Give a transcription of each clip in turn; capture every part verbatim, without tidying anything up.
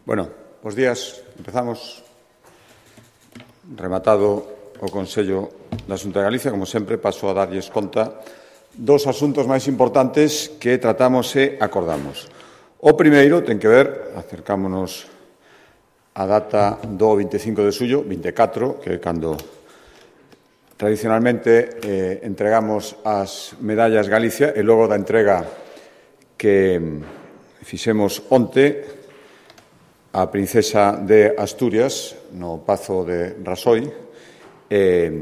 Bueno, bos días. Empezamos. Rematado o Consello da Xunta de Galicia, como sempre, paso a darlles conta dos asuntos máis importantes que tratamos e acordamos. O primeiro ten que ver, acercámonos a data do vinte e cinco de xullo, vinte e catro, que é cando tradicionalmente eh, entregamos as medallas Galicia, e logo da entrega que fixemos onte a princesa de Asturias no Pazo de Rasoi. Eh,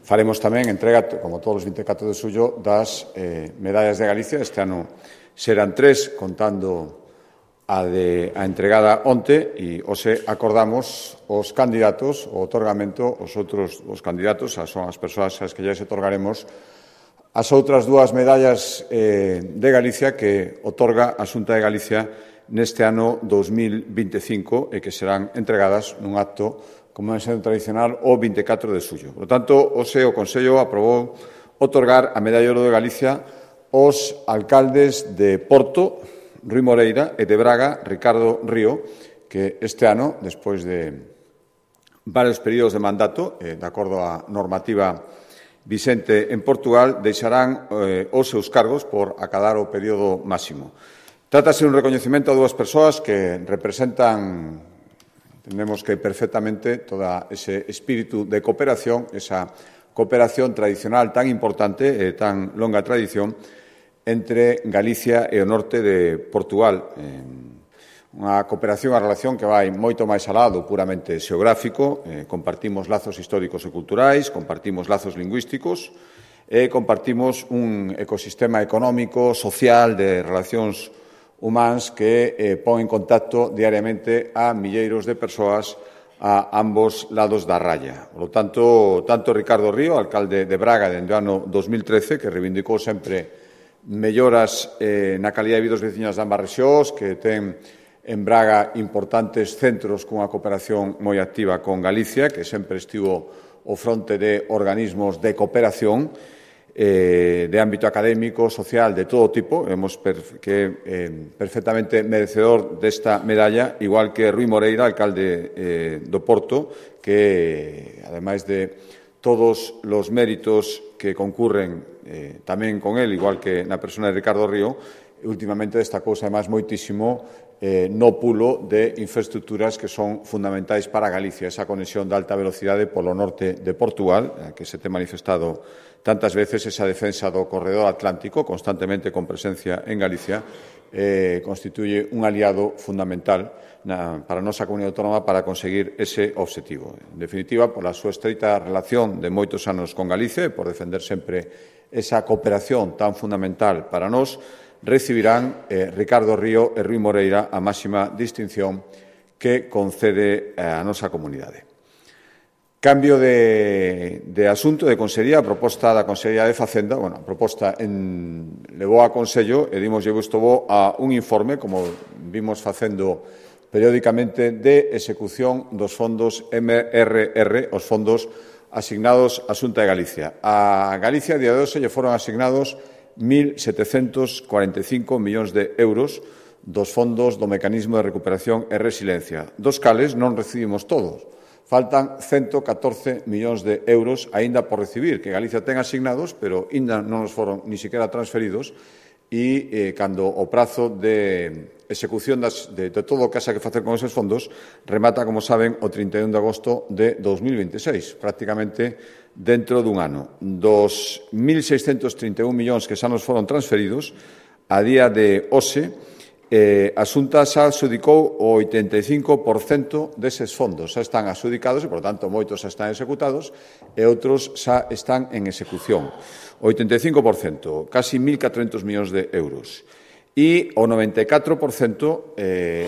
faremos tamén entrega, como todos os vinte e catro de xullo, das eh, medallas de Galicia. Este ano serán tres, contando a, de, a entregada onte, e hoxe acordamos os candidatos, o otorgamento, os outros os candidatos, son as persoas as que ya se otorgaremos as outras dúas medallas eh, de Galicia que otorga a Xunta de Galicia neste ano dos mil vinte e cinco e que serán entregadas nun acto, como é sendo tradicional, o vinte e catro de xullo. Por lo tanto, hoxe o Consello aprobou otorgar a Medalla de Ouro de Galicia aos alcaldes de Porto, Rui Moreira, e de Braga, Ricardo Río, que este ano, despois de varios períodos de mandato, eh, de acordo á normativa Vicente en Portugal, deixarán eh, os seus cargos por acadar o período máximo. Trátase de un recoñecemento a dúas persoas que representan, entendemos que perfectamente, todo ese espírito de cooperación, esa cooperación tradicional tan importante e tan longa tradición entre Galicia e o norte de Portugal. Unha cooperación, a relación que vai moito máis alá do puramente xeográfico. Eh, compartimos lazos históricos e culturais, compartimos lazos lingüísticos e compartimos un ecosistema económico, social, de relacións humanas que eh, pon en contacto diariamente a milleiros de persoas a ambos lados da raya. Por lo tanto, tanto Ricardo Río, alcalde de Braga dende o ano dos mil trece, que reivindicou sempre melloras eh, na calidad de vida dos veciños de ambas rexións, que ten en Braga importantes centros cunha cooperación moi activa con Galicia, que sempre estivo ao fronte de organismos de cooperación eh, de ámbito académico, social, de todo tipo. Vemos per, que eh, perfectamente merecedor desta medalla, igual que Rui Moreira, alcalde eh, do Porto, que, ademais de todos os méritos que concurren eh, tamén con él, igual que na persona de Ricardo Río, últimamente destacouse además moitísimo eh, no pulo de infraestructuras que son fundamentais para Galicia, esa conexión de alta velocidade polo norte de Portugal, que se te manifestado tantas veces, esa defensa do corredor atlántico, constantemente con presencia en Galicia, eh, constituye un aliado fundamental na, para a nosa comunidade autónoma para conseguir ese obxectivo. En definitiva, pola súa estreita relación de moitos anos con Galicia e por defender sempre esa cooperación tan fundamental para nós, recibirán eh, Ricardo Río e Rui Moreira a máxima distinción que concede a nosa comunidade. Cambio de, de asunto de Consellería, a proposta da Consellería de Facenda, bueno, a proposta en, levou a Consello e dimos lle gusto bo a un informe, como vimos facendo periódicamente, de execución dos fondos M R R, os fondos asignados á Xunta de Galicia. A Galicia, a día de hoxe, lle foron asignados mil setecentos cuarenta e cinco millóns de euros dos fondos do Mecanismo de Recuperación e Resiliencia, dos cales non recibimos todos. Faltan ciento catorce millóns de euros aínda por recibir, que Galicia ten asignados, pero aínda non nos foron ni siquiera transferidos, e eh, cando o prazo de execución das, de, de todo o que haxa que facer con esos fondos remata, como saben, o trinta e un de agosto de dos mil vinte e seis, prácticamente dentro dun ano. Dos mil seiscentos trinta e un millóns que xa nos foron transferidos, a día de hoxe, eh, a Xunta xa adxudicou o oitenta e cinco por cento deses fondos. Xa están adxudicados e, por tanto, moitos xa están executados e outros xa están en execución. O oitenta e cinco por cento, casi mil catrocentos millóns de euros. E o noventa e catro por cento, eh,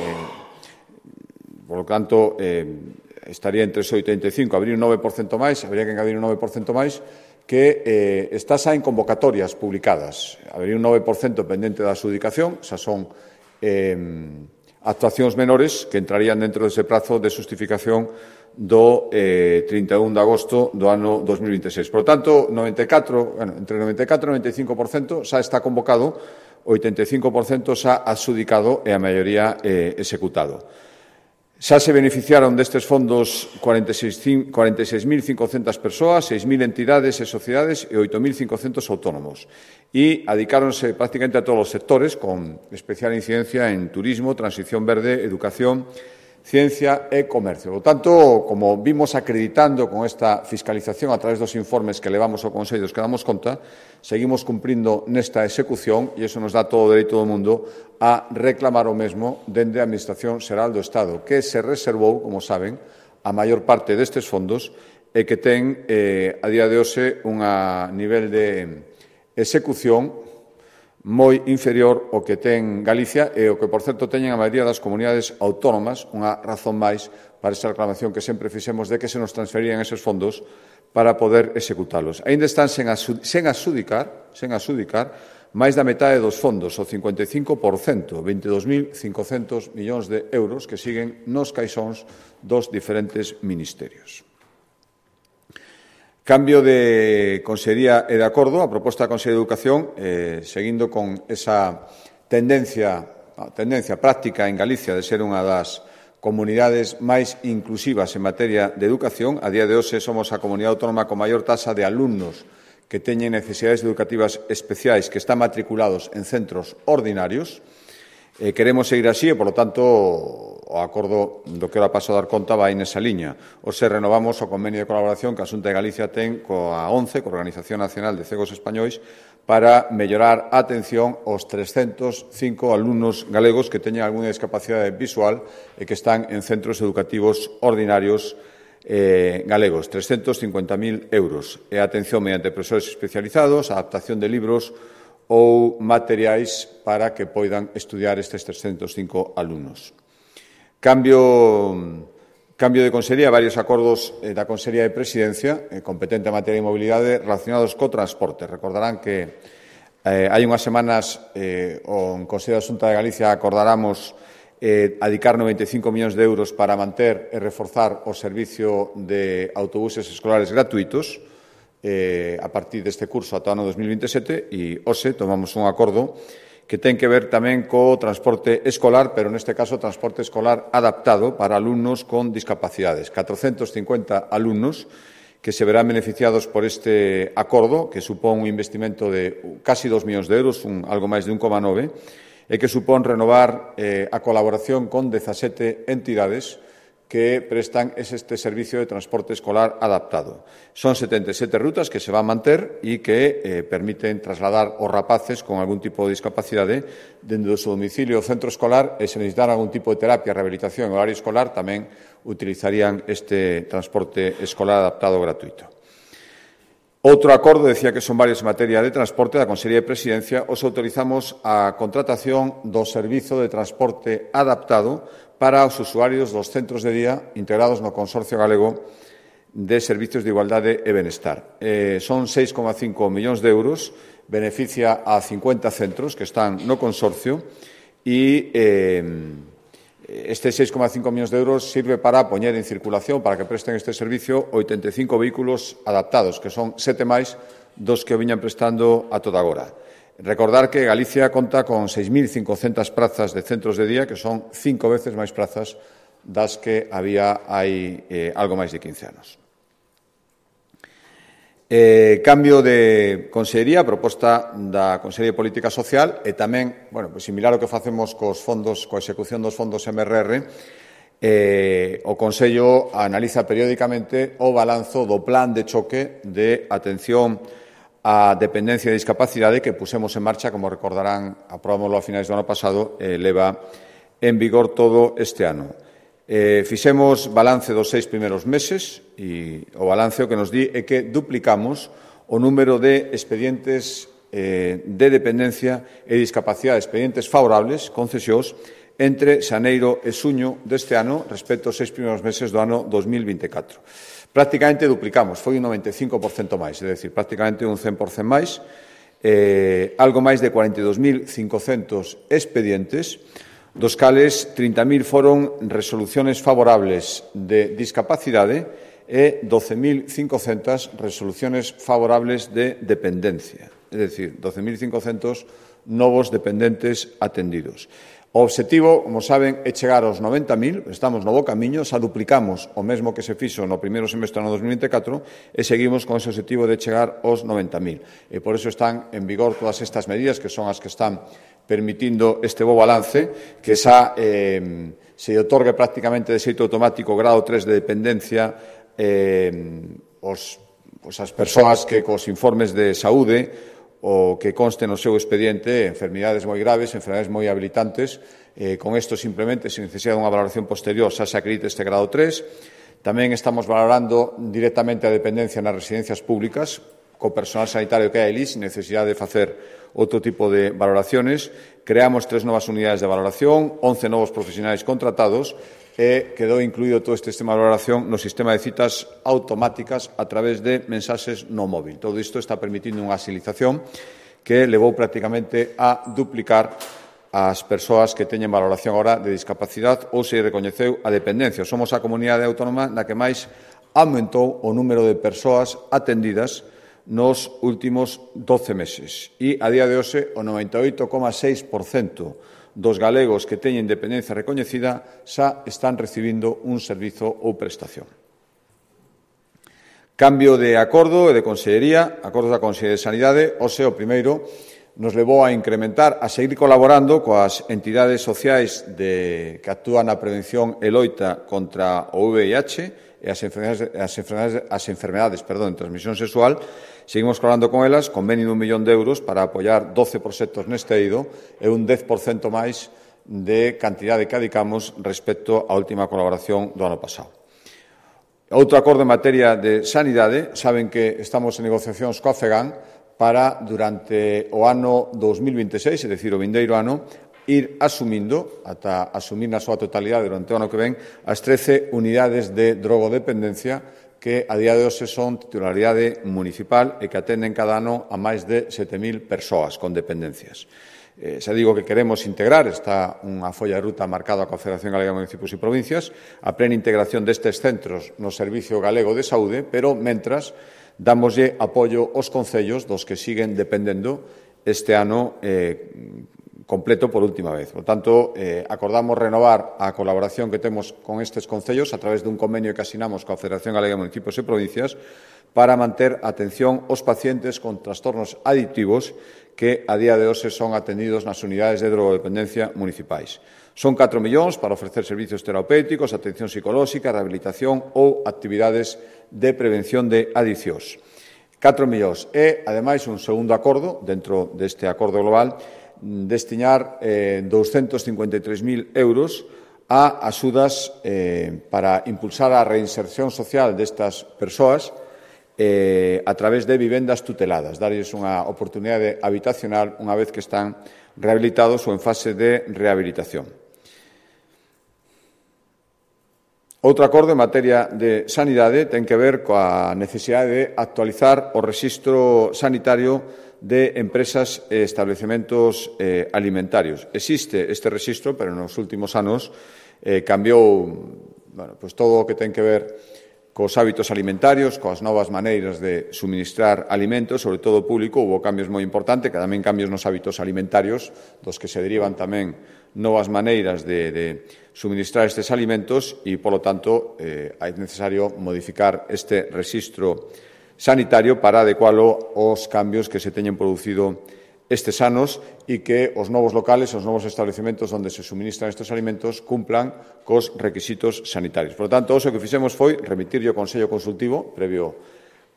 por lo tanto, eh, estaría entre ese oitenta e cinco, habría un nove por cento máis, habría que engadir un nove por cento máis, que eh, está xa en convocatorias publicadas. Habría un nove por cento pendente da adxudicación, xa son eh, actuacións menores que entrarían dentro dese prazo de justificación do eh, trinta e un de agosto do ano dos mil vinte e seis. Por tanto, noventa e catro, bueno, entre noventa e catro e noventa e cinco por cento xa está convocado, oitenta e cinco por cento xa adxudicado e a maioría eh, executado. Xa se beneficiaron destes fondos cuarenta e seis mil cincocentas persoas, seis mil entidades e sociedades e oito mil cincocentos autónomos. E adicáronse prácticamente a todos os sectores, con especial incidencia en turismo, transición verde, educación, ciencia e comercio. Por tanto, como vimos acreditando con esta fiscalización a través dos informes que levamos ao Consello dos que damos conta, seguimos cumprindo nesta execución e iso nos dá todo o dereito do mundo a reclamar o mesmo dende a Administración Xeral do Estado, que se reservou, como saben, a maior parte destes fondos e que ten, eh, a día de hoxe, un nivel de execución moi inferior ao que ten Galicia e o que, por certo, teñen a maioría das comunidades autónomas, unha razón máis para esa reclamación que sempre fixemos de que se nos transferían esos fondos para poder executalos. Ainda están sen, sen asudicar, sen asudicar máis da metade dos fondos, o cincuenta e cinco por cento, veintidós mil cincocentos millóns de euros que siguen nos caixóns dos diferentes ministerios. Cambio de Consellería e de acordo, a proposta da Consellería de Educación, eh, seguindo con esa tendencia, tendencia práctica en Galicia de ser unha das comunidades máis inclusivas en materia de educación. A día de hoxe somos a comunidade autónoma con maior tasa de alumnos que teñen necesidades educativas especiais que están matriculados en centros ordinarios. Eh, queremos seguir así e, polo tanto, o acordo do que ora paso a dar conta vai nesa liña. Hoxe renovamos o convenio de colaboración que a Xunta de Galicia ten coa ONCE, coa Organización Nacional de Cegos Españois, para mellorar a atención aos trescentos cinco alumnos galegos que teñen algunha discapacidade visual e que están en centros educativos ordinarios eh, galegos. trescentos cincuenta mil euros. E a atención mediante profesores especializados, a adaptación de libros ou materiais para que poidan estudiar estes trescentos cinco alumnos. Cambio, cambio de consellería, varios acordos eh, da Consellería de Presidencia, eh, competente en materia de mobilidade, relacionados co transporte. Recordarán que eh, hai unhas semanas eh, o Consello da Xunta de Galicia acordáramos eh, adicar noventa e cinco millóns de euros para manter e reforzar o servicio de autobuses escolares gratuitos eh, a partir deste curso ata o ano dos mil vinte e sete e hoxe tomamos un acordo que ten que ver tamén co transporte escolar, pero neste caso transporte escolar adaptado para alumnos con discapacidades. catrocentos cincuenta alumnos que se verán beneficiados por este acordo, que supón un investimento de casi dos millóns de euros, un, algo máis de un coma nove, e que supón renovar eh, a colaboración con dezasete entidades que prestan este servicio de transporte escolar adaptado. Son setenta e sete rutas que se van a manter e que eh, permiten trasladar os rapaces con algún tipo de discapacidade dende o seu domicilio ao centro escolar e se necesitan algún tipo de terapia, rehabilitación en horario escolar tamén utilizarían este transporte escolar adaptado gratuito. Outro acordo, decía que son varios en materia de transporte, da Consellería de Presidencia, os autorizamos a contratación do servizo de transporte adaptado para os usuarios dos centros de día integrados no Consorcio Galego de Servicios de Igualdade e Benestar. Eh, son seis coma cinco millóns de euros, beneficia a cincuenta centros que están no consorcio e eh, este seis coma cinco millóns de euros sirve para poñer en circulación, para que presten este servicio, oitenta e cinco vehículos adaptados, que son sete máis dos que o viñan prestando a toda agora. Recordar que Galicia conta con seis mil cincocentas prazas de centros de día, que son cinco veces máis prazas das que había hai eh, algo máis de quince anos. Eh, cambio de consellería, proposta da Consellería de Política Social e tamén, bueno, pues similar ao que facemos cos fondos, coa execución dos fondos M R R, eh, o Consello analiza periódicamente o balanzo do plan de choque de atención a dependencia e discapacidade que pusemos en marcha, como recordarán, aprobámoslo a finais do ano pasado, eh, leva en vigor todo este ano. Eh, fixemos balance dos seis primeiros meses e o balance o que nos di é que duplicamos o número de expedientes eh, de dependencia e discapacidade, expedientes favorables, concesións, entre xaneiro e xuño deste ano respecto aos seis primeiros meses do ano dos mil vinte e catro. Prácticamente duplicamos, foi un noventa e cinco por cento máis, é dicir, prácticamente un cen por cento máis, eh, algo máis de cuarenta e dos mil cincocentos expedientes, dos cales trinta mil foron resoluciones favorables de discapacidade e doce mil cincocentas resoluciones favorables de dependencia, é dicir, doce mil cincocentos novos dependentes atendidos. O obxectivo, como saben, é chegar aos noventa mil, estamos no bo camiño, xa duplicamos o mesmo que se fixo no primeiro semestre do dos mil vinte e catro e seguimos con ese obxectivo de chegar aos noventa mil. E por iso están en vigor todas estas medidas que son as que están permitindo este bo balance, que xa eh, se otorgue prácticamente de xeito automático o grado tres de dependencia eh, os, pues as persoas que cos informes de saúde o que conste no seu expediente enfermidades moi graves, enfermidades moi habilitantes. Eh, con isto, simplemente, se necesita unha valoración posterior, xa se acredite este grado tres. Tamén estamos valorando directamente a dependencia nas residencias públicas, co personal sanitario que hai ali, sin necesidade de facer outro tipo de valoraciones. Creamos tres novas unidades de valoración, once novos profesionais contratados, e quedou incluído todo este sistema de valoración no sistema de citas automáticas a través de mensaxes no móvil. Todo isto está permitindo unha agilización que levou prácticamente a duplicar as persoas que teñen valoración agora de discapacidade ou se recoñeceu a dependencia. Somos a comunidade autónoma na que máis aumentou o número de persoas atendidas nos últimos doce meses e, a día de hoxe, o noventa e oito coma seis por cento dos galegos que teñen dependencia recoñecida xa están recibindo un servizo ou prestación. Cambio de acordo e de consellería, acordos da Consellería de Sanidade, hoxe o primeiro nos levou a incrementar, a seguir colaborando coas entidades sociais de, que actúan na prevención e loita contra o V I H e as enfermedades, as enfermedades, as enfermedades perdón, de transmisión sexual. Seguimos colaborando con elas, convenio dun millón de euros para apoiar doce proxectos neste eido e un dez por cento máis de cantidade que adicamos respecto á última colaboración do ano pasado. Outro acordo en materia de sanidade, saben que estamos en negociacións coa FEGAN para, durante o ano dos mil vinte e seis, é dicir, o vindeiro ano, ir asumindo, ata asumir na súa totalidade durante o ano que ven, as trece unidades de drogodependencia que a día de hoxe son titularidade municipal e que atenden cada ano a máis de sete mil persoas con dependencias. Eh, xa digo que queremos integrar, está unha folla de ruta marcada coa Federación Galega de Municipios e Provincias, a plena integración destes centros no Servicio Galego de Saúde, pero, mentras, dámoslle apoio aos concellos dos que siguen dependendo este ano eh, completo por última vez. Por tanto, eh, acordamos renovar a colaboración que temos con estes concellos a través dun convenio que asinamos coa Federación Galega de Municipios e Provincias para manter atención aos pacientes con trastornos adictivos que a día de hoxe son atendidos nas unidades de drogodependencia municipais. Son catro millóns para ofrecer servizos terapéuticos, atención psicolóxica, rehabilitación ou actividades de prevención de adiccións. catro millóns e, ademais, un segundo acordo dentro deste acordo global destinar eh, douscentos cincuenta e tres mil euros a axudas eh, para impulsar a reinserción social destas persoas eh, a través de vivendas tuteladas, darlles unha oportunidade habitacional unha vez que están rehabilitados ou en fase de rehabilitación. Outro acordo en materia de sanidade ten que ver coa necesidade de actualizar o rexistro sanitario de empresas e establecementos eh, alimentarios. Existe este rexistro, pero nos últimos anos eh, cambiou bueno, pues todo o que ten que ver cos hábitos alimentarios, coas novas maneiras de suministrar alimentos, sobre todo público. Hubo cambios moi importantes, que tamén cambios nos hábitos alimentarios, dos que se derivan tamén novas maneiras de, de suministrar estes alimentos e, polo tanto, eh, é necesario modificar este rexistro sanitario para adecualo aos cambios que se teñen producido estes anos e que os novos locales, os novos establecementos onde se suministran estes alimentos cumplan cos requisitos sanitarios. Por lo tanto, o que fixemos foi remitirlle ao Consello Consultivo, previo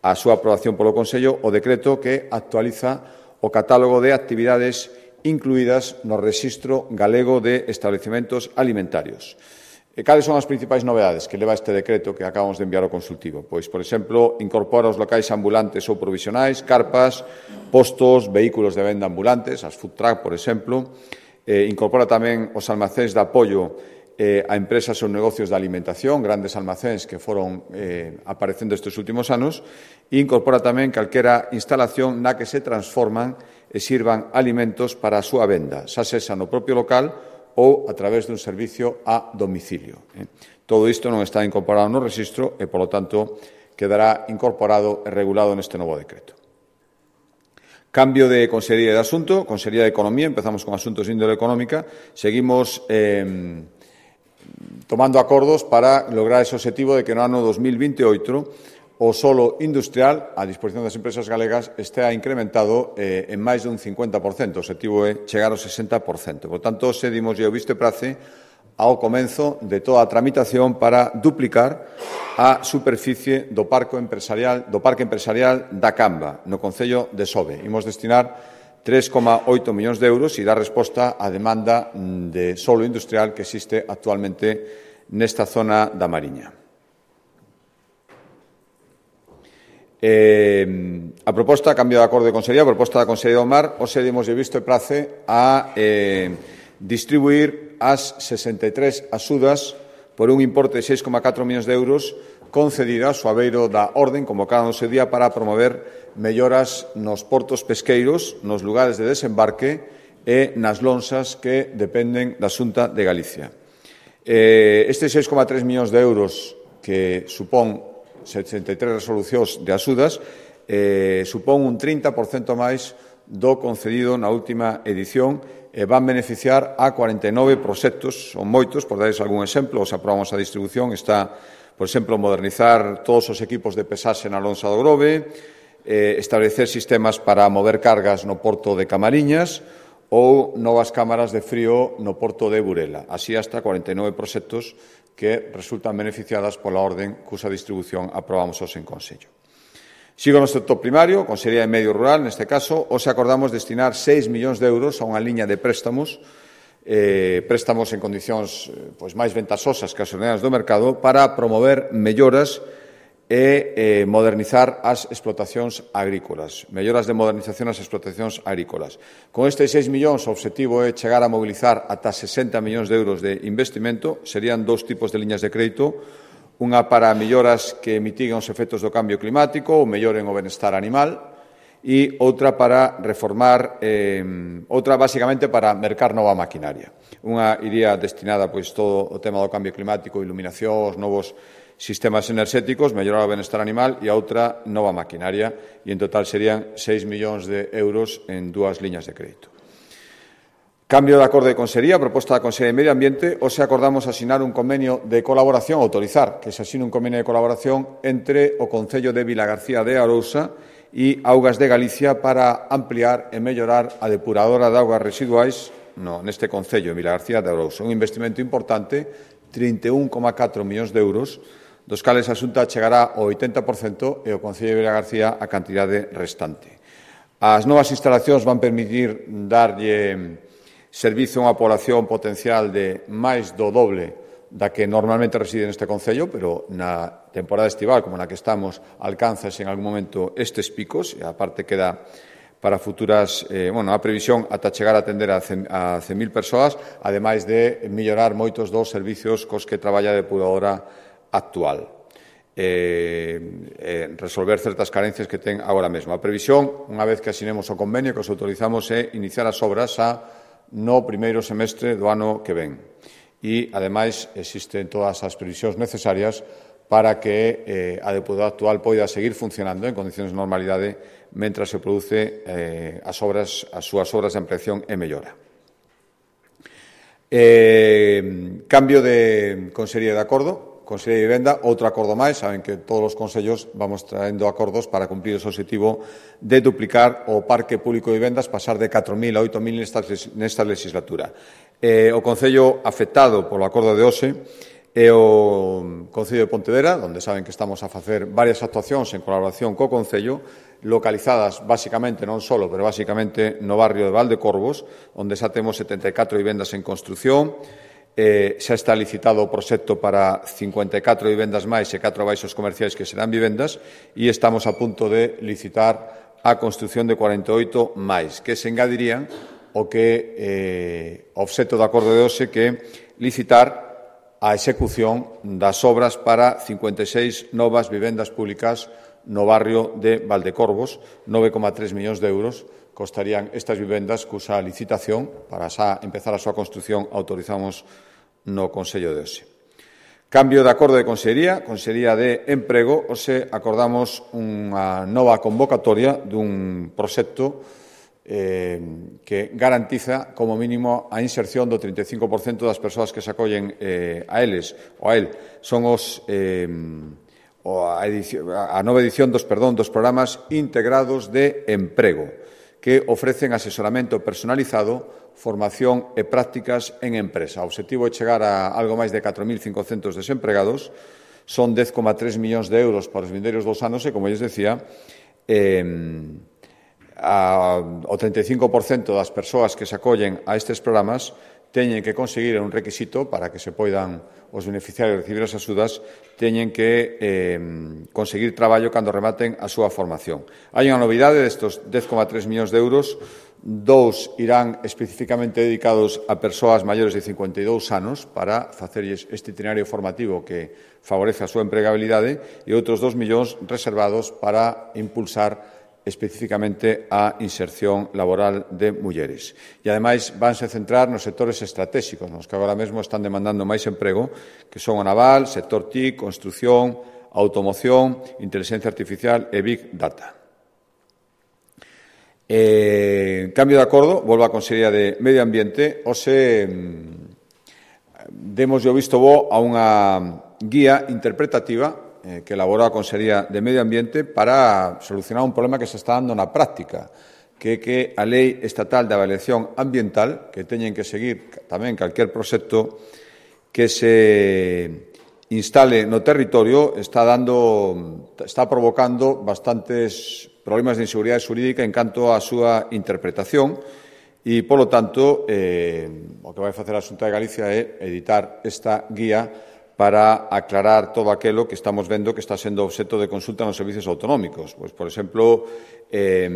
á súa aprobación polo Consello, o decreto que actualiza o catálogo de actividades incluídas no Rexistro Galego de Establecementos Alimentarios. E cales son as principais novedades que leva este decreto que acabamos de enviar ao consultivo? Pois, por exemplo, incorpora os locais ambulantes ou provisionais, carpas, postos, vehículos de venda ambulantes, as food truck, por exemplo. Eh, incorpora tamén os almacéns de apoio eh, a empresas ou negocios de alimentación, grandes almacéns que foron eh, aparecendo estes últimos anos. E incorpora tamén calquera instalación na que se transforman e sirvan alimentos para a súa venda, xa sexa no propio local ou a través dun servicio a domicilio. Todo isto non está incorporado no rexistro e, polo tanto, quedará incorporado e regulado neste novo decreto. Cambio de Consellería de Asunto, Consellería de Economía, empezamos con asuntos de índole económica, seguimos eh, tomando acordos para lograr ese objetivo de que no ano dos mil veintioito o solo industrial, a disposición das empresas galegas, estea incrementado eh, en máis de un cincuenta por cento. O objetivo é chegar ao sesenta por cento. Por tanto, se dimos o visto e prace ao comenzo de toda a tramitación para duplicar a superficie do parque empresarial, do parque empresarial da Camba, no concello de Sove. Imos destinar tres coma oito millóns de euros e dar resposta á demanda de solo industrial que existe actualmente nesta zona da Mariña. Eh, a proposta, cambio de acordo de Consellería, a proposta da Consellería do Mar, hoxe dimos visto e prace a eh, distribuir as sesenta e tres axudas por un importe de seis coma catro millóns de euros concedidas ao abeiro da Orden convocada no seu día para promover melloras nos portos pesqueiros, nos lugares de desembarque e nas lonxas que dependen da Xunta de Galicia. Eh, estes seis coma tres millóns de euros que supón sesenta e tres resolucións de axudas eh, supón un trinta por cento máis do concedido na última edición e van beneficiar a cuarenta e nove proxectos, son moitos, por dares algún exemplo, os aprobamos a distribución, está, por exemplo, modernizar todos os equipos de pesaxe na lonxa do Grove, eh, establecer sistemas para mover cargas no porto de Camariñas ou novas cámaras de frío no porto de Burela. Así hasta cuarenta e nove proxectos que resultan beneficiadas pola orden cusa distribución aprobamos hoxe en Consello. Sigo no sector primario, Consellería de Medio Rural, neste caso, hoxe acordamos destinar seis millóns de euros a unha liña de préstamos, eh, préstamos en condicións pois, máis ventasosas que as ordenadas do mercado, para promover melloras e eh, modernizar as explotacións agrícolas, melloras de modernización ás explotacións agrícolas. Con estes seis millóns, o objetivo é chegar a mobilizar ata sesenta millóns de euros de investimento, serían dous tipos de liñas de crédito, unha para melloras que mitiguen os efectos do cambio climático ou melloren o benestar animal e outra para reformar, eh, outra basicamente para mercar nova maquinaria. Unha iría destinada pois todo o tema do cambio climático, iluminación, os novos sistemas enerxéticos, mellorar o benestar animal e a outra nova maquinaria e en total serían seis millóns de euros en dúas liñas de crédito. Cambio de acordo de Consellería, proposta da Consellería de Medio Ambiente, hoxe acordamos asinar un convenio de colaboración, autorizar que se asine un convenio de colaboración entre o Concello de Vilagarcía de Arousa e Augas de Galicia para ampliar e mellorar a depuradora de augas residuais no, neste Concello, de Vilagarcía de Arousa. Un investimento importante, trinta e un coma catro millóns de euros, dos cales a Xunta chegará ao oitenta por cento e o Concello de Vilagarcía a cantidade restante. As novas instalacións van permitir darlle servizo a unha población potencial de máis do doble da que normalmente reside neste Concello, pero na temporada estival, como na que estamos, alcanzase en algún momento estes picos, e aparte queda para futuras, eh, bueno, a previsión ata chegar a atender a cen mil persoas, ademais de mellorar moitos dos servicios cos que traballa a depuradora actual. Eh, eh, resolver certas carencias que ten agora mesmo. A previsión, unha vez que asinemos o convenio, que os autorizamos é iniciar as obras a no primeiro semestre do ano que ven. E, ademais, existen todas as previsións necesarias para que eh, a depuradora actual poida seguir funcionando en condicións de normalidade mentras se produce eh, as, obras, as súas obras de ampliación e mellora. Eh, cambio de Consellería de Acordo. Consellería de Vivenda, outro acordo máis, saben que todos os consellos vamos traendo acordos para cumprir ese objetivo de duplicar o parque público de vivendas, pasar de catro mil a oito mil nesta, nesta legislatura. Eh, o concello afectado polo acordo de hoxe é o Concello de Pontevedra, onde saben que estamos a facer varias actuacións en colaboración co concello, localizadas basicamente, non solo, pero basicamente no barrio de Valdecorvos, onde xa temos setenta e catro vivendas en construción. Eh, xa está licitado o proxecto para cincuenta e catro vivendas máis e catro baixos comerciais que serán vivendas e estamos a punto de licitar a construción de cuarenta e oito máis, que se engadirían o que eh, obxecto do acordo de hoxe que licitar a execución das obras para cincuenta e seis novas vivendas públicas no barrio de Valdecorvos, nove coma tres millóns de euros, costarían estas vivendas cusa licitación para xa empezar a súa construción autorizamos no Consello de hoxe. Cambio de acordo de Consellería, Consellería de Emprego, hoxe acordamos unha nova convocatoria dun proxecto eh, que garantiza, como mínimo, a inserción do trinta e cinco por cento das persoas que se acollen eh, a eles ou a él. Son os, eh, a, edición, a nova edición dos, perdón, dos programas integrados de emprego, que ofrecen asesoramento personalizado, formación e prácticas en empresa. O obxectivo é chegar a algo máis de catro mil cincocentos desempregados. Son dez coma tres millóns de euros para os vindeiros dos anos e, como lles decía, eh, a, o trinta e cinco por cento das persoas que se acollen a estes programas teñen que conseguir un requisito para que se poidan os beneficiarios recibir as axudas, teñen que eh, conseguir traballo cando rematen a súa formación. Hai unha novidade destos dez coma tres millóns de euros. Dous irán especificamente dedicados a persoas maiores de cincuenta e dous anos para facerlles este itinerario formativo que favorece a súa empregabilidade e outros dos millóns reservados para impulsar especificamente a inserción laboral de mulleres. E, ademais, vanse centrar nos sectores estratégicos, nos que agora mesmo están demandando máis emprego, que son o naval, sector T I C, construción, automoción, inteligencia artificial e Big Data. Eh, cambio de acordo, volvo á Consellería de Medio Ambiente, hoxe demos o visto bo a unha guía interpretativa eh, que elaborou a Consellería de Medio Ambiente para solucionar un problema que se está dando na práctica, que é que a Lei Estatal de Avaliación Ambiental, que teñen que seguir tamén calquer proxecto que se instale no territorio, está dando, está provocando bastantes problemas de inseguridade xurídica en canto á súa interpretación e, polo tanto, eh, o que vai facer a Xunta de Galicia é editar esta guía para aclarar todo aquilo que estamos vendo que está sendo obxecto de consulta nos servicios autonómicos. Pois, por exemplo, eh,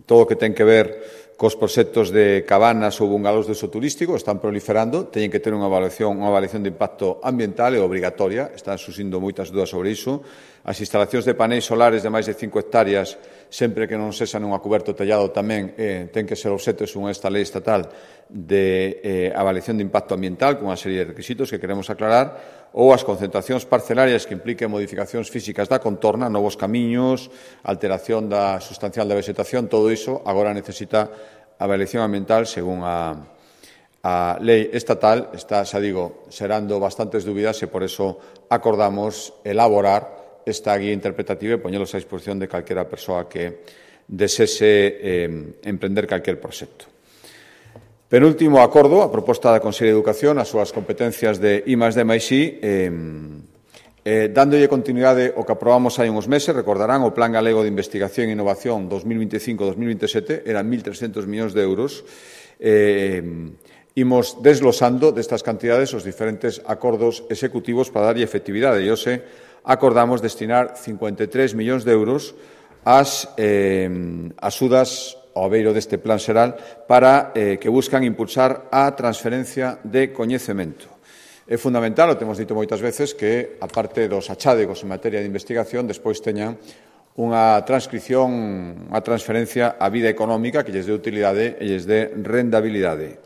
todo o que ten que ver cos proxectos de cabanas ou bungalós de uso turístico están proliferando, teñen que ter unha avaliación, unha avaliación de impacto ambiental e obrigatoria, están surxindo moitas dúdas sobre iso. As instalacións de paneis solares de máis de cinco hectáreas, sempre que non sexan unha cuberto tellado tamén, eh, ten que ser obxecto según esta lei estatal de eh, avaliación de impacto ambiental con unha serie de requisitos que queremos aclarar, ou as concentracións parcelarias que impliquen modificacións físicas da contorna, novos camiños, alteración da sustancial da vegetación, todo iso agora necesita avaliación ambiental según a, a lei estatal. Está, xa digo, xerando bastantes dúbidas e por eso acordamos elaborar esta guía interpretativa e poñelos a disposición de calquera persoa que desese eh, emprender calquer proxecto. Penúltimo acordo, a proposta da Consellería de Educación, as súas competencias de I máis D máis I, eh, eh, dándolle continuidade ao que aprobamos hai uns meses. Recordarán o Plan Galego de Investigación e Innovación dos mil veinticinco a dos mil veintisiete, eran mil trescentos millóns de euros. Eh, imos desglosando destas cantidades os diferentes acordos executivos para darlle efectividade. E hoxe acordamos destinar cincuenta e tres millóns de euros ás eh, axudas ao beiro deste plan xeral para eh, que buscan impulsar a transferencia de coñecemento. É fundamental, o temos dito moitas veces, que, aparte dos achádegos en materia de investigación, despois teñan unha transcripción, unha transferencia á vida económica que lles dé utilidade e lles dé rendabilidade.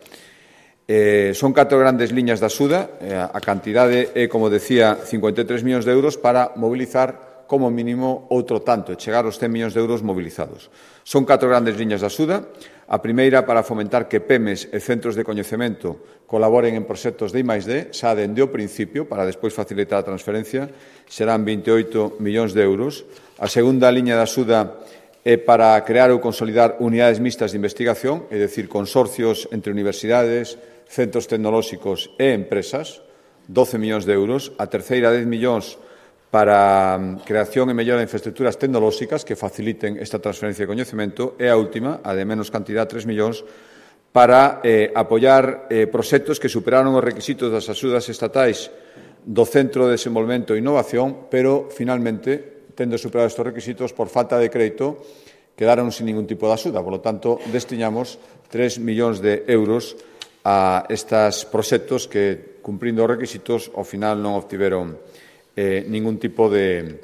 Eh, son catro grandes liñas de axuda, eh, a cantidade é, como decía, cincuenta e tres millóns de euros para mobilizar como mínimo outro tanto, e chegar aos cen millóns de euros mobilizados. Son catro grandes liñas de axuda. A primeira para fomentar que PEMES e centros de coñecemento colaboren en proxectos de I máis D, xa dende o principio, para despois facilitar a transferencia, serán vinte e oito millóns de euros. A segunda liña de axuda é para crear ou consolidar unidades mixtas de investigación, é dicir, consorcios entre universidades, centros tecnolóxicos e empresas, doce millóns de euros. A terceira, dez millóns para creación e mellora de infraestructuras tecnolóxicas que faciliten esta transferencia de coñecemento, e a última, a de menos cantidad, tres millóns, para eh, apoiar eh, proxectos que superaron os requisitos das axudas estatais do Centro de Desenvolvemento e Innovación, pero, finalmente, tendo superado estes requisitos, por falta de crédito, quedaron sin ningún tipo de axuda. Por lo tanto, destinamos tres millóns de euros a estes proxectos que, cumprindo os requisitos, ao final non obtiveron Eh, ningún tipo de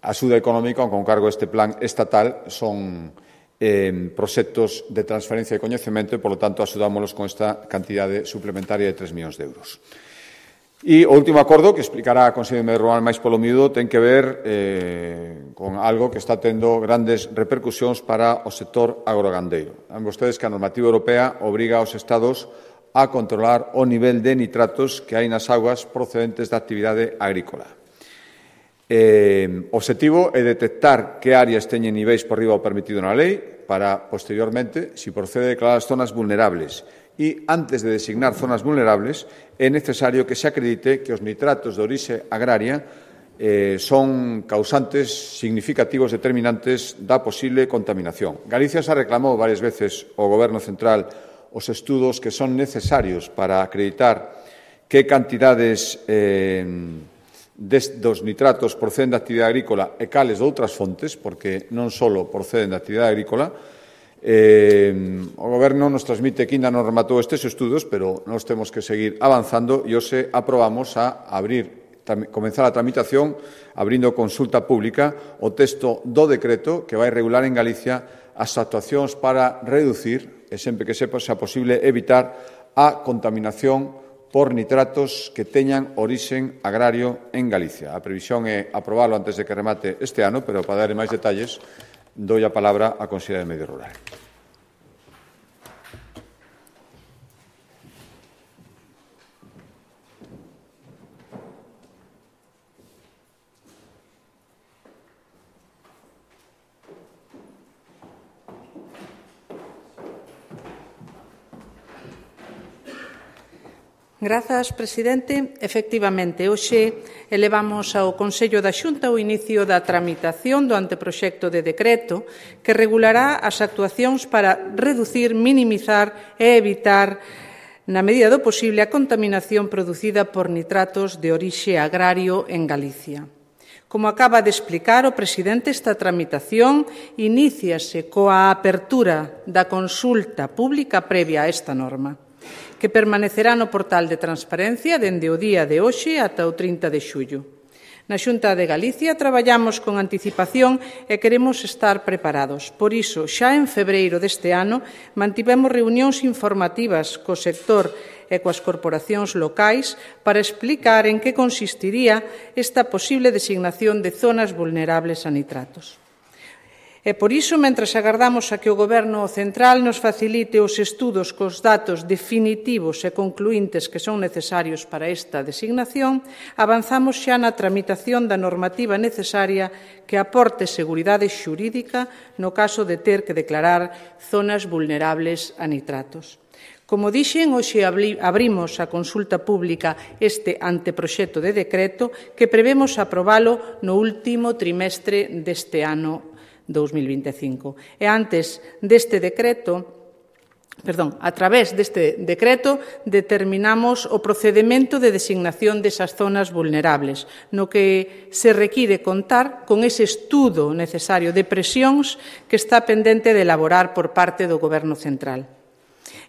axuda económica con cargo a este plan estatal. Son eh, proxectos de transferencia de coñecemento e, polo tanto, axudámoslos con esta cantidade suplementaria de tres millóns de euros. E o último acordo, que explicará a Conselleira de Medio Rural máis polo miúdo, ten que ver eh, con algo que está tendo grandes repercusións para o sector agrogandeiro. Saben vostedes que a normativa europea obriga aos Estados a controlar o nivel de nitratos que hai nas augas procedentes da actividade agrícola. Eh, o obxectivo é detectar que áreas teñen niveis por riba o permitido na lei para, posteriormente, se procede, declarar as zonas vulnerables. E, antes de designar zonas vulnerables, é necesario que se acredite que os nitratos de orixe agraria eh, son causantes significativos determinantes da posible contaminación. Galicia xa reclamou varias veces ao Goberno central os estudos que son necesarios para acreditar que cantidades eh, des, dos nitratos proceden da actividade agrícola e cales de outras fontes, porque non só proceden da actividade agrícola. Eh, o Goberno nos transmite que ainda non rematou estes estudos, pero nós temos que seguir avanzando e hoxe aprobamos a abrir, comenzar a tramitación, abrindo consulta pública, o texto do decreto que vai regular en Galicia as actuacións para reducir, e sempre que sepa xa posible, evitar a contaminación por nitratos que teñan orixen agrario en Galicia. A previsión é aprobalo antes de que remate este ano, pero para dar máis detalles, doy a palabra á Conselleira de Medio Rural. Grazas, presidente. Efectivamente, hoxe elevamos ao Consello da Xunta o inicio da tramitación do anteproxecto de decreto que regulará as actuacións para reducir, minimizar e evitar, na medida do posible, a contaminación producida por nitratos de orixe agrario en Galicia. Como acaba de explicar o presidente, esta tramitación iníciase coa apertura da consulta pública previa a esta norma, que permanecerá no portal de transparencia dende o día de hoxe ata o trinta de xullo. Na Xunta de Galicia traballamos con anticipación e queremos estar preparados. Por iso, xa en febreiro deste ano, mantivemos reunións informativas co sector e coas corporacións locais para explicar en que consistiría esta posible designación de zonas vulnerables a nitratos. E por iso, mentres agardamos a que o Goberno central nos facilite os estudos cos datos definitivos e concluíntes que son necesarios para esta designación, avanzamos xa na tramitación da normativa necesaria que aporte seguridade xurídica no caso de ter que declarar zonas vulnerables a nitratos. Como dixen, hoxe abrimos a consulta pública este anteproxecto de decreto que prevemos aprobalo no último trimestre deste ano dous mil vinte e cinco. E antes deste decreto, perdón, a través deste decreto determinamos o procedemento de designación desas zonas vulnerables, no que se require contar con ese estudo necesario de presións que está pendente de elaborar por parte do Goberno central.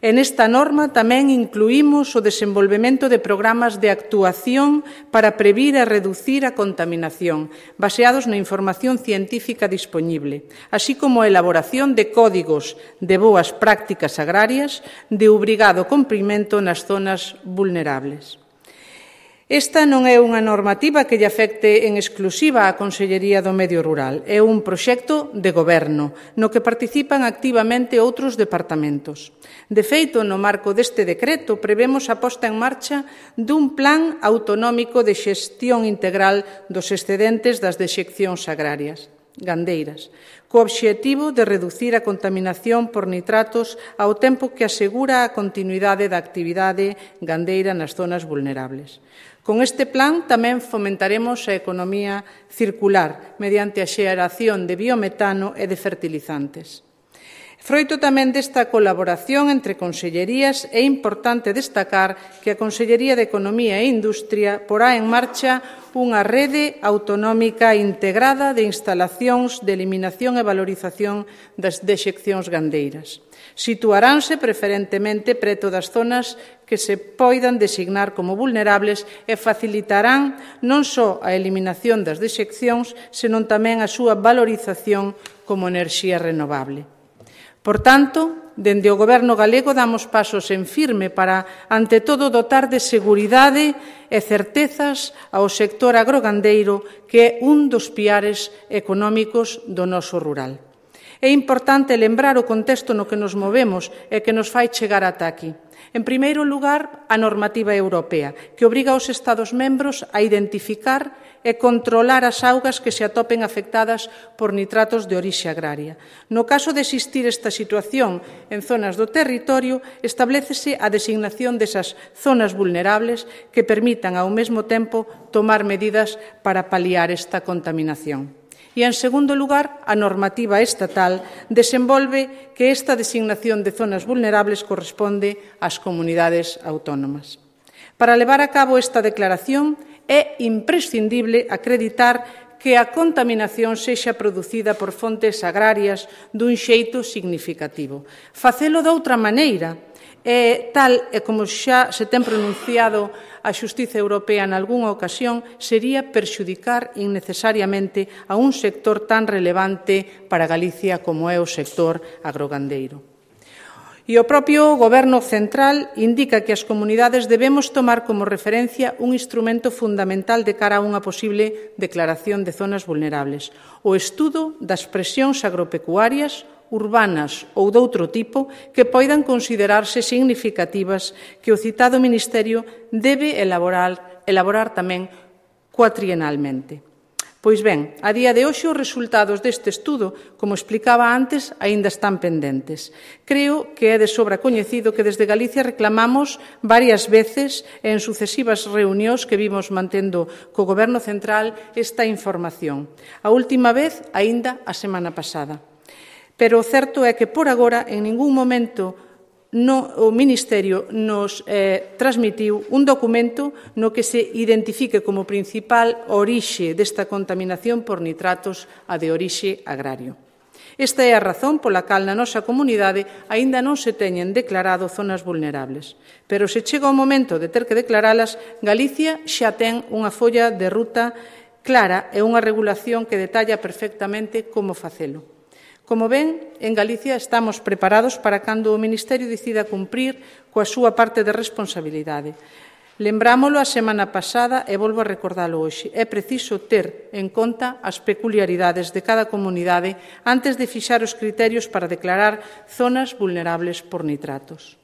En esta norma tamén incluímos o desenvolvemento de programas de actuación para previr e reducir a contaminación, baseados na información científica dispoñible, así como a elaboración de códigos de boas prácticas agrarias de obrigado cumprimento nas zonas vulnerables. Esta non é unha normativa que lle afecte en exclusiva á Consellería do Medio Rural. É un proxecto de goberno, no que participan activamente outros departamentos. De feito, no marco deste decreto, prevemos a posta en marcha dun plan autonómico de xestión integral dos excedentes das dexeccións agrarias gandeiras, co obxectivo de reducir a contaminación por nitratos ao tempo que asegura a continuidade da actividade gandeira nas zonas vulnerables. Con este plan tamén fomentaremos a economía circular mediante a xeración de biometano e de fertilizantes. Froito tamén desta colaboración entre consellerías, é importante destacar que a Consellería de Economía e Industria porá en marcha unha rede autonómica integrada de instalacións de eliminación e valorización das dexeccións gandeiras. Situaránse preferentemente preto das zonas que se poidan designar como vulnerables e facilitarán non só a eliminación das dexeccións, senón tamén a súa valorización como enerxía renovable. Por tanto, dende o Goberno galego damos pasos en firme para, ante todo, dotar de seguridade e certezas ao sector agrogandeiro, que é un dos piares económicos do noso rural. É importante lembrar o contexto no que nos movemos e que nos fai chegar ata aquí. En primeiro lugar, a normativa europea, que obriga aos Estados membros a identificar e controlar as augas que se atopen afectadas por nitratos de orixe agraria. No caso de existir esta situación en zonas do territorio, establécese a designación desas zonas vulnerables que permitan, ao mesmo tempo, tomar medidas para paliar esta contaminación. E, en segundo lugar, a normativa estatal desenvolve que esta designación de zonas vulnerables corresponde ás comunidades autónomas. Para levar a cabo esta declaración é imprescindible acreditar que a contaminación sexa producida por fontes agrarias dun xeito significativo. Facelo doutra maneira, e tal e como xa se ten pronunciado a Xustiza Europea en algunha ocasión, sería perxudicar innecesariamente a un sector tan relevante para Galicia como é o sector agrogandeiro. E o propio Goberno central indica que as comunidades debemos tomar como referencia un instrumento fundamental de cara a unha posible declaración de zonas vulnerables: o estudo das presións agropecuarias, urbanas ou doutro tipo que poidan considerarse significativas, que o citado Ministerio debe elaborar, elaborar tamén cuatrienalmente. Pois ben, a día de hoxe os resultados deste estudo, como explicaba antes, aínda están pendentes. Creo que é de sobra coñecido que desde Galicia reclamamos varias veces en sucesivas reunións que vimos mantendo co Goberno central esta información. A última vez, aínda a semana pasada. Pero o certo é que, por agora, en ningún momento no, o Ministerio nos eh, transmitiu un documento no que se identifique como principal orixe desta contaminación por nitratos a de orixe agrario. Esta é a razón pola cal na nosa comunidade aínda non se teñen declarado zonas vulnerables. Pero se chega o momento de ter que declaralas, Galicia xa ten unha folla de ruta clara e unha regulación que detalla perfectamente como facelo. Como ven, en Galicia estamos preparados para cando o Ministerio decida cumprir coa súa parte de responsabilidade. Lembrámolo a semana pasada e volvo a recordalo hoxe. É preciso ter en conta as peculiaridades de cada comunidade antes de fixar os criterios para declarar zonas vulnerables por nitratos.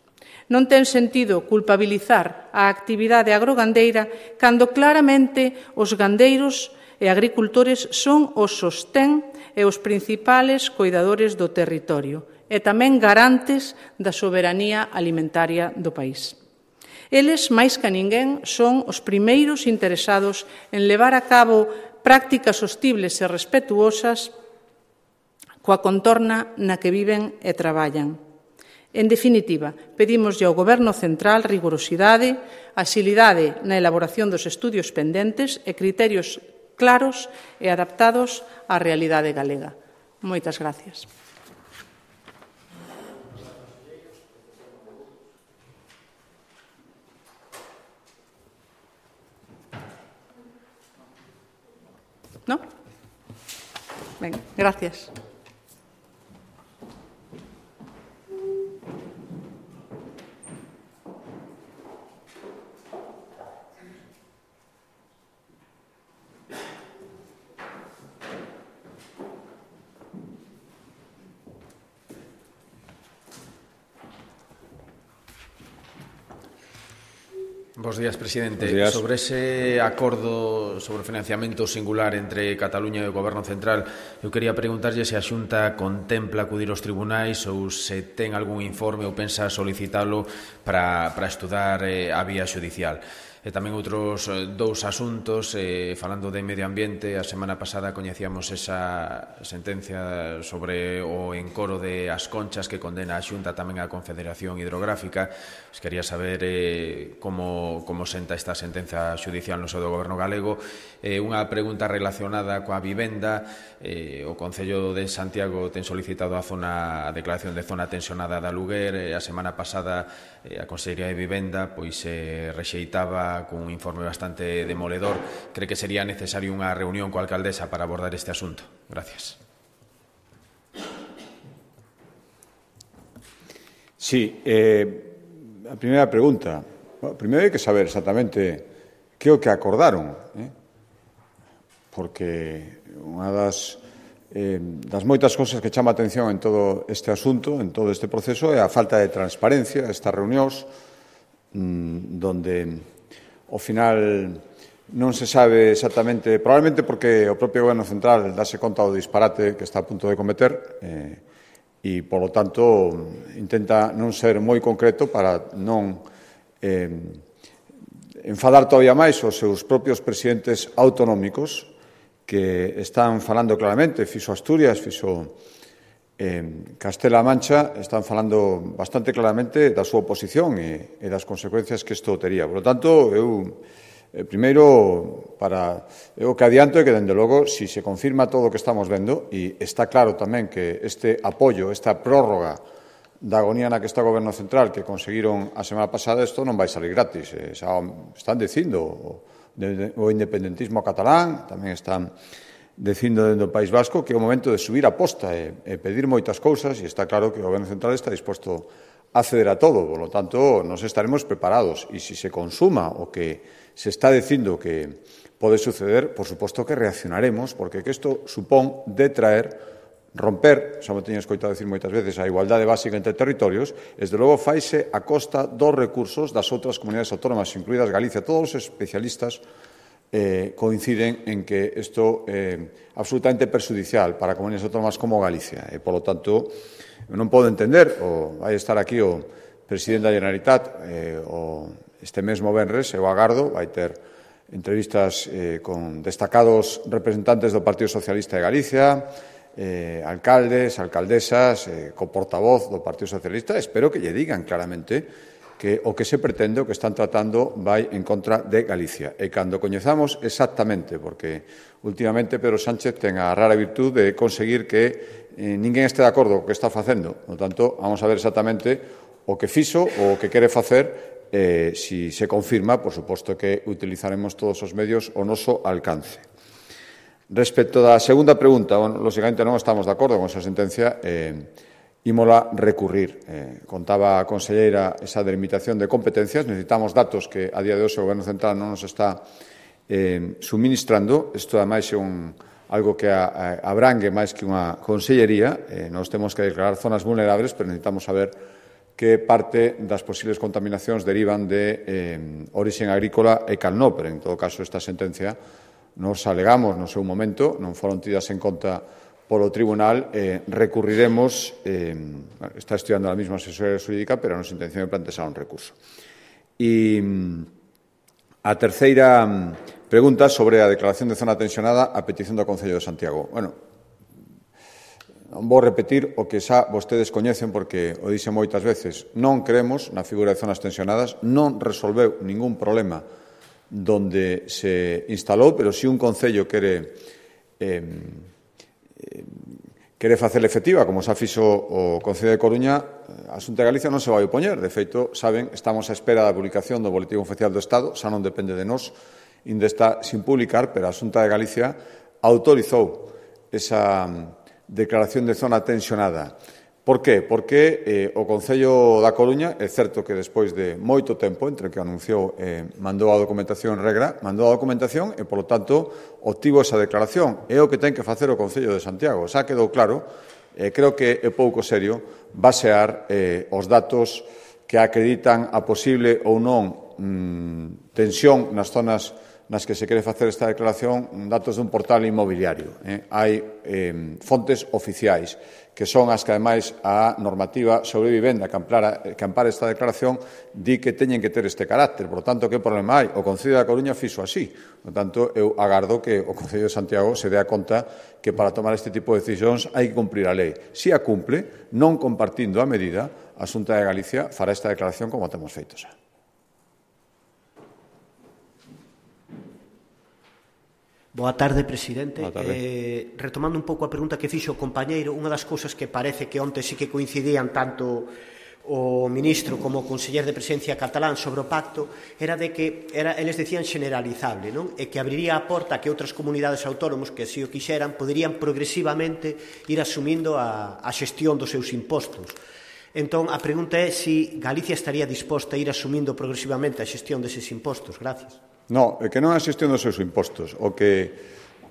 Non ten sentido culpabilizar a actividade agrogandeira cando claramente os gandeiros e agricultores son os sostén e os principales coidadores do territorio e tamén garantes da soberanía alimentaria do país. Eles, máis que ninguén, son os primeiros interesados en levar a cabo prácticas sostibles e respetuosas coa contorna na que viven e traballan. En definitiva, pedimoslle ao Goberno central rigorosidade, axilidade na elaboración dos estudios pendentes e criterios claros e adaptados á realidade galega. Moitas gracias. ¿No? Ben, gracias. Bos días, presidente. Bos días. Sobre ese acordo sobre financiamento singular entre Cataluña e o Goberno central, eu quería preguntarlle se a Xunta contempla acudir aos tribunais ou se ten algún informe ou pensa solicitalo para, para estudar eh, a vía xudicial. E tamén outros dous asuntos, eh, falando de medio ambiente, a semana pasada coñecíamos esa sentencia sobre o encoro de As Conchas que condena a Xunta tamén á Confederación Hidrográfica. Pues quería saber eh, como, como senta esta sentenza xudicial no seu do Goberno galego. Eh, unha pregunta relacionada coa vivenda. Eh, o Concello de Santiago ten solicitado a, zona, a declaración de zona tensionada da Luguer. Eh, a semana pasada eh, a Consellería de Vivenda pois eh, rexeitaba cun informe bastante demoledor. Cree que sería necesario unha reunión coa alcaldesa para abordar este asunto? Gracias. Sí, eh, a primeira pregunta. Bueno, primeiro hai que saber exactamente que é o que acordaron, eh? porque unha das, eh, das moitas cousas que chama a atención en todo este asunto, en todo este proceso, é a falta de transparencia, estas reunións, mmm, donde, ao final, non se sabe exactamente, probablemente porque o propio Goberno Central dáse conta do disparate que está a punto de cometer, eh, e, polo tanto, intenta non ser moi concreto para non eh, enfadar todavía máis os seus propios presidentes autonómicos que están falando claramente, fixo Asturias, fixo eh, Castela-A Mancha, están falando bastante claramente da súa oposición e, e das consecuencias que isto tería. Por lo tanto, eu, eh, primeiro, para, eu que adianto é que, dende logo, si se confirma todo o que estamos vendo, e está claro tamén que este apoio, esta prórroga da agonía na que está o Goberno Central que conseguiron a semana pasada, isto non vai salir gratis. Eh, xa están dicindo o independentismo catalán, tamén están dicindo dentro do País Vasco que é o momento de subir a posta e, e pedir moitas cousas, e está claro que o Goberno Central está disposto a ceder a todo. Por lo tanto, nos estaremos preparados, e se se consuma o que se está dicindo que pode suceder, por suposto que reaccionaremos, porque que isto supón de traer romper, xa me teño escoitado decir moitas veces, a igualdade básica entre territorios, desde logo faise a costa dos recursos das outras comunidades autónomas, incluídas Galicia. Todos os especialistas eh, coinciden en que isto é eh, absolutamente perxudicial para comunidades autónomas como Galicia. E, polo tanto, non podo entender, o vai estar aquí o presidente da Generalitat eh, o este mesmo venres, eu agardo, vai ter entrevistas eh, con destacados representantes do Partido Socialista de Galicia, Eh, alcaldes, alcaldesas, eh, co portavoz do Partido Socialista. Espero que lle digan claramente que o que se pretende, o que están tratando, vai en contra de Galicia. E cando coñezamos exactamente, porque últimamente Pedro Sánchez ten a rara virtud de conseguir que eh, ninguén este de acordo co que está facendo. Por tanto, vamos a ver exactamente o que fixo ou o que quere facer. Eh, si se confirma, por suposto que utilizaremos todos os medios ao noso alcance. Respecto da segunda pregunta, bueno, lógicamente non estamos de acordo con esa sentencia, eh, ímola recurrir. Eh, contaba a conselleira esa delimitación de competencias, necesitamos datos que a día de hoxe o Goberno Central non nos está eh, suministrando. Isto, ademais, é un, algo que a, a, abrangue máis que unha consellería. Eh, nos temos que declarar zonas vulnerables, pero necesitamos saber que parte das posibles contaminacións derivan de eh, origen agrícola e cal non, pero en todo caso esta sentencia nos alegamos no seu momento, non foron tidas en conta polo Tribunal, eh, recurriremos, eh, está estudiando a mesma asesoría xurídica, pero a nosa intención é plantear un recurso. E a terceira pregunta sobre a declaración de zona tensionada a petición do Concello de Santiago. Bueno, non vou repetir o que xa vostedes coñecen, porque o dixen moitas veces. Non creemos na figura de zonas tensionadas, non resolveu ningún problema donde se instalou, pero si un Concello quere eh, quere facer efectiva, como xa fixo o Concello de Coruña, a Xunta de Galicia non se vai opoñer. De feito, saben, estamos á espera da publicación do Boletín Oficial do Estado, xa non depende de nós, ainda está sin publicar, pero a Xunta de Galicia autorizou esa declaración de zona tensionada. Por qué? Porque eh, o Concello da Coruña, é certo que despois de moito tempo, entre que anunciou e eh, mandou a documentación en regra, mandou a documentación e, polo tanto, obtivo esa declaración. É o que ten que facer o Concello de Santiago. Xa quedou claro, eh, creo que é pouco serio basear eh, os datos que acreditan a posible ou non mmm, tensión nas zonas nas que se quere facer esta declaración, datos dun portal inmobiliario. Eh? Hai eh, fontes oficiais, que son as que, ademais, a normativa sobre vivenda que ampara, que ampara esta declaración di que teñen que ter este carácter. Por tanto, que problema hai? O Concello da Coruña fixo así. Por tanto, eu agardo que o Concello de Santiago se dé a conta que para tomar este tipo de decisións hai que cumprir a lei. Si a cumple, non compartindo a medida, a Xunta de Galicia fará esta declaración como temos feito xa. Boa tarde, presidente. Boa tarde. Eh, retomando un pouco a pregunta que fixo o compañeiro, unha das cousas que parece que onte sí que coincidían tanto o ministro como o conseller de Presidencia catalán sobre o pacto era de que era, eles decían generalizable, non? E que abriría a porta a que outras comunidades autónomos que así o quixeran poderían progresivamente ir asumindo a, a xestión dos seus impostos. Entón, a pregunta é se Galicia estaría disposta a ir asumindo progresivamente a xestión deses impostos. Gracias. No, é que non é a xestión dos seus impostos. O que,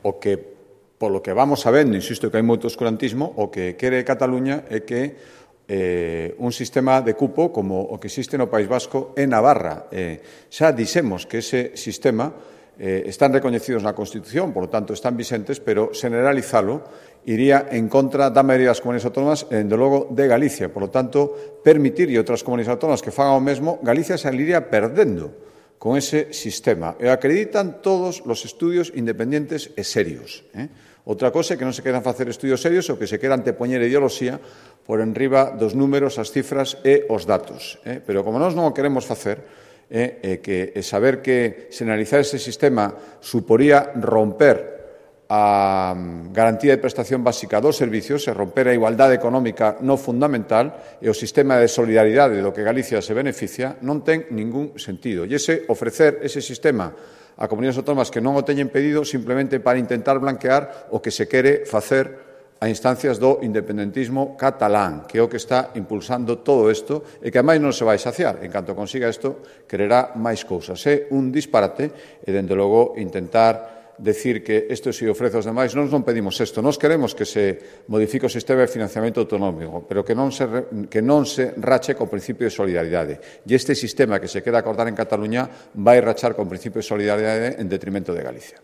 o que, polo que vamos sabendo, insisto que hai moito oscurantismo, o que quere Cataluña é que eh, un sistema de cupo como o que existe no País Vasco e Navarra. Eh, xa dixemos que ese sistema eh, están recoñecidos na Constitución, por lo tanto están vicentes, pero generalizalo iría en contra da maioría das comunidades autónomas e, dende logo, de Galicia. Por lo tanto, permitir e outras comunidades autónomas que fagan o mesmo, Galicia saliría perdendo con ese sistema. E acreditan todos os estudios independientes e serios. Eh? Outra cosa é que non se queran facer estudios serios ou que se queran antepoñer ideoloxía por enriba dos números, as cifras e os datos. Eh? Pero como nós non o queremos facer, eh, eh, que eh, saber que se analizar ese sistema suporía romper a garantía de prestación básica dos servicios e romper a igualdade económica no fundamental e o sistema de solidaridade do que Galicia se beneficia, non ten ningún sentido. E ese ofrecer ese sistema a comunidades autónomas que non o teñen pedido simplemente para intentar blanquear o que se quere facer a instancias do independentismo catalán, que é o que está impulsando todo isto e que, ademais, non se vai saciar. En canto consiga isto, quererá máis cousas. É un disparate e, dende logo, intentar decir que isto se ofrece aos demais. Nós non pedimos isto. Nós queremos que se modifique o sistema de financiamento autonómico, pero que non se, que non se rache con principio de solidaridade. E este sistema que se queda acordar en Cataluña vai rachar con principio de solidaridade en detrimento de Galicia.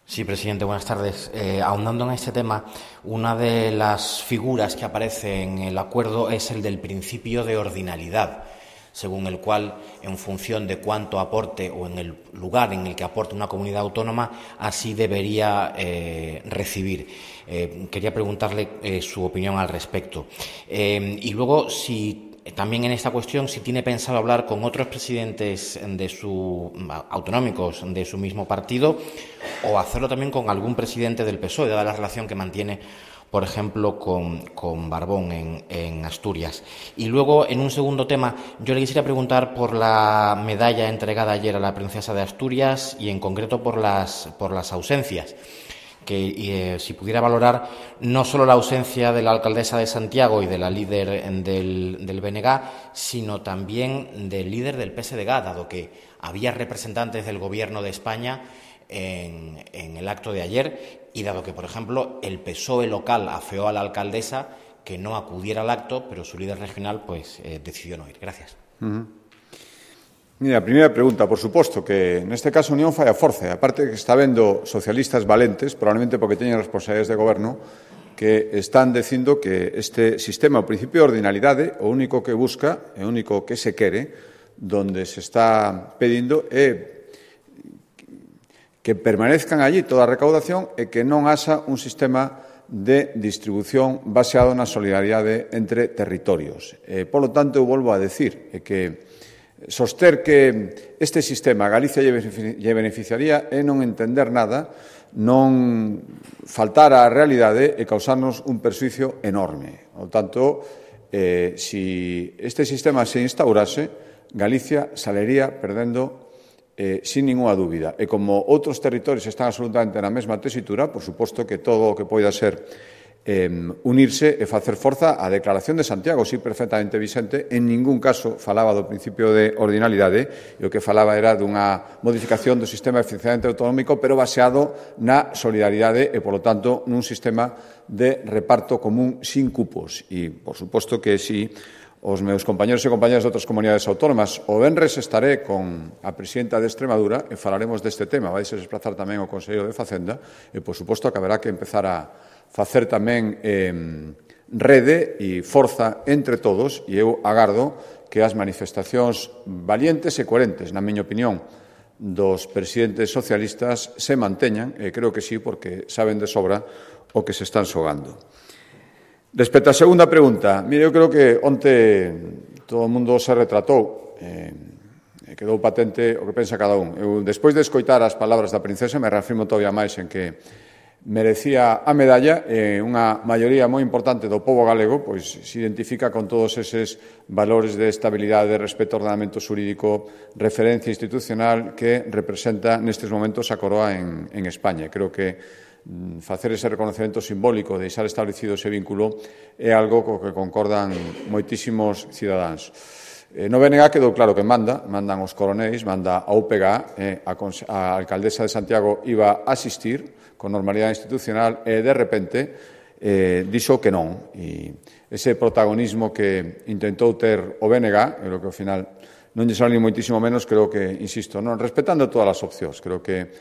Sí, presidente, buenas tardes. Eh, ahondando en este tema, una de las figuras que aparece en el acuerdo es el del principio de ordinalidad, según el cual, en función de cuánto aporte o en el lugar en el que aporte una comunidad autónoma, así debería eh, recibir. Eh, quería preguntarle eh, su opinión al respecto. Eh, y luego, si también en esta cuestión, si tiene pensado hablar con otros presidentes de su, autonómicos de su mismo partido o hacerlo también con algún presidente del P S O E, dada la relación que mantiene, por ejemplo, con, con Barbón en, en Asturias. Y luego, en un segundo tema, yo le quisiera preguntar por la medalla entregada ayer a la princesa de Asturias y, en concreto, por las, por las ausencias. Que eh, si pudiera valorar no solo la ausencia de la alcaldesa de Santiago y de la líder del, del B N G, sino también del líder del P S D G, dado que había representantes del Gobierno de España en, en el acto de ayer y dado que, por ejemplo, el P S O E local afeó a la alcaldesa que no acudiera al acto, pero su líder regional pues eh, decidió no ir. Gracias. Uh-huh. Mira, a primeira pregunta, por suposto, que neste caso Unión fai a forza. Aparte que está vendo socialistas valentes, probablemente porque teñen responsabilidades de goberno, que están dicindo que este sistema, o principio de ordinalidade, o único que busca, o único que se quere, donde se está pedindo é que permanezcan allí toda a recaudación e que non haxa un sistema de distribución baseado na solidaridade entre territorios. Eh, por lo tanto, eu volvo a decir é que soster que este sistema a Galicia lle beneficiaría é non entender nada, non faltar á realidade e causarnos un persuicio enorme. Por tanto, eh, si este sistema se instaurase, Galicia salería perdendo eh, sin ninguna dúbida. E como outros territorios están absolutamente na mesma tesitura, por suposto que todo o que poida ser Eh, unirse e facer forza á Declaración de Santiago, sí, perfectamente vicente. En ningún caso falaba do principio de ordinalidade, e o que falaba era dunha modificación do sistema de financiamento autonómico, pero baseado na solidaridade e, polo tanto, nun sistema de reparto común sin cupos. E, por suposto, que si os meus compañeros e compañeras de outras comunidades autónomas, o venres estaré con a presidenta de Extremadura e falaremos deste tema. Vai se desplazar tamén o Conselleiro de Facenda e, por suposto, que haberá que empezar a facer tamén eh, rede e forza entre todos, e eu agardo que as manifestacións valientes e coherentes, na miña opinión, dos presidentes socialistas se manteñan, e creo que sí, porque saben de sobra o que se están xogando. Respecto á segunda pregunta, mire, eu creo que onte todo o mundo se retratou, eh, e quedou patente o que pensa cada un. Eu, despois de escoitar as palabras da princesa, me reafirmo todavía máis en que merecía a medalla e unha maioría moi importante do pobo galego pois se identifica con todos eses valores de estabilidade, respeto ao ordenamento xurídico, referencia institucional que representa nestes momentos a Coroa en, en España. Creo que facer ese reconocemento simbólico, deixar establecido ese vínculo, é algo co que concordan moitísimos cidadáns. Eh, no B N G quedou claro que manda, mandan os coronéis, manda a U P G A, eh, a, a alcaldesa de Santiago iba a asistir con normalidade institucional e, de repente, eh, dixo que non. E ese protagonismo que intentou ter o B N G, e lo que ao final non lle sale ni moitísimo menos, creo que, insisto, non, respetando todas as opcións, creo que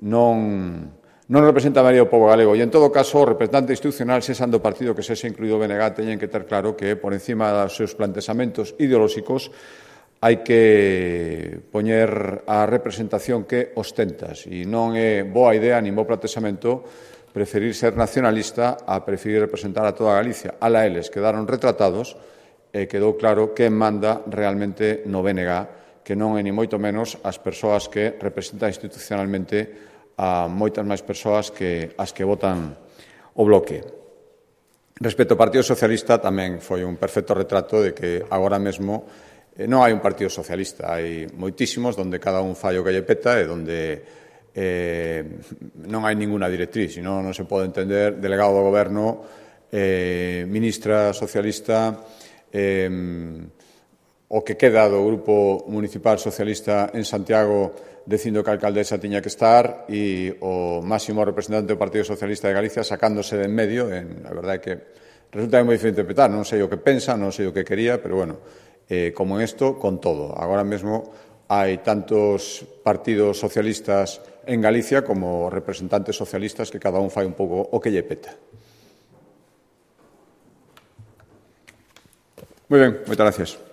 non, non representa a maioría do pobo galego. E, en todo caso, o representante institucional, sexan do partido que sexa incluído o B N G, teñen que ter claro que, por encima dos seus plantexamentos ideolóxicos, hai que poñer a representación que ostentas e non é boa idea nin bo plantexamento preferir ser nacionalista a preferir representar a toda Galicia. Ala eles quedaron retratados e quedou claro quen manda realmente no B N G, que non é ni moito menos as persoas que representan institucionalmente a moitas máis persoas que as que votan o bloque. Respecto ao Partido Socialista, tamén foi un perfecto retrato de que agora mesmo non hai un partido socialista, hai moitísimos onde cada un fai o que lle peta e onde eh, non hai ninguna directriz, senón non se pode entender delegado do goberno, eh, ministra socialista, eh, o que queda do Grupo Municipal Socialista en Santiago dicindo que a alcaldesa tiña que estar e o máximo representante do Partido Socialista de Galicia sacándose de en medio. En, a verdade é que resulta moi difícil interpretar, non sei o que pensa, non sei o que quería, pero bueno, Eh, como en esto, con todo. Agora mesmo hai tantos partidos socialistas en Galicia como representantes socialistas que cada un fai un pouco o que lle peta. Moi ben, moitas gracias.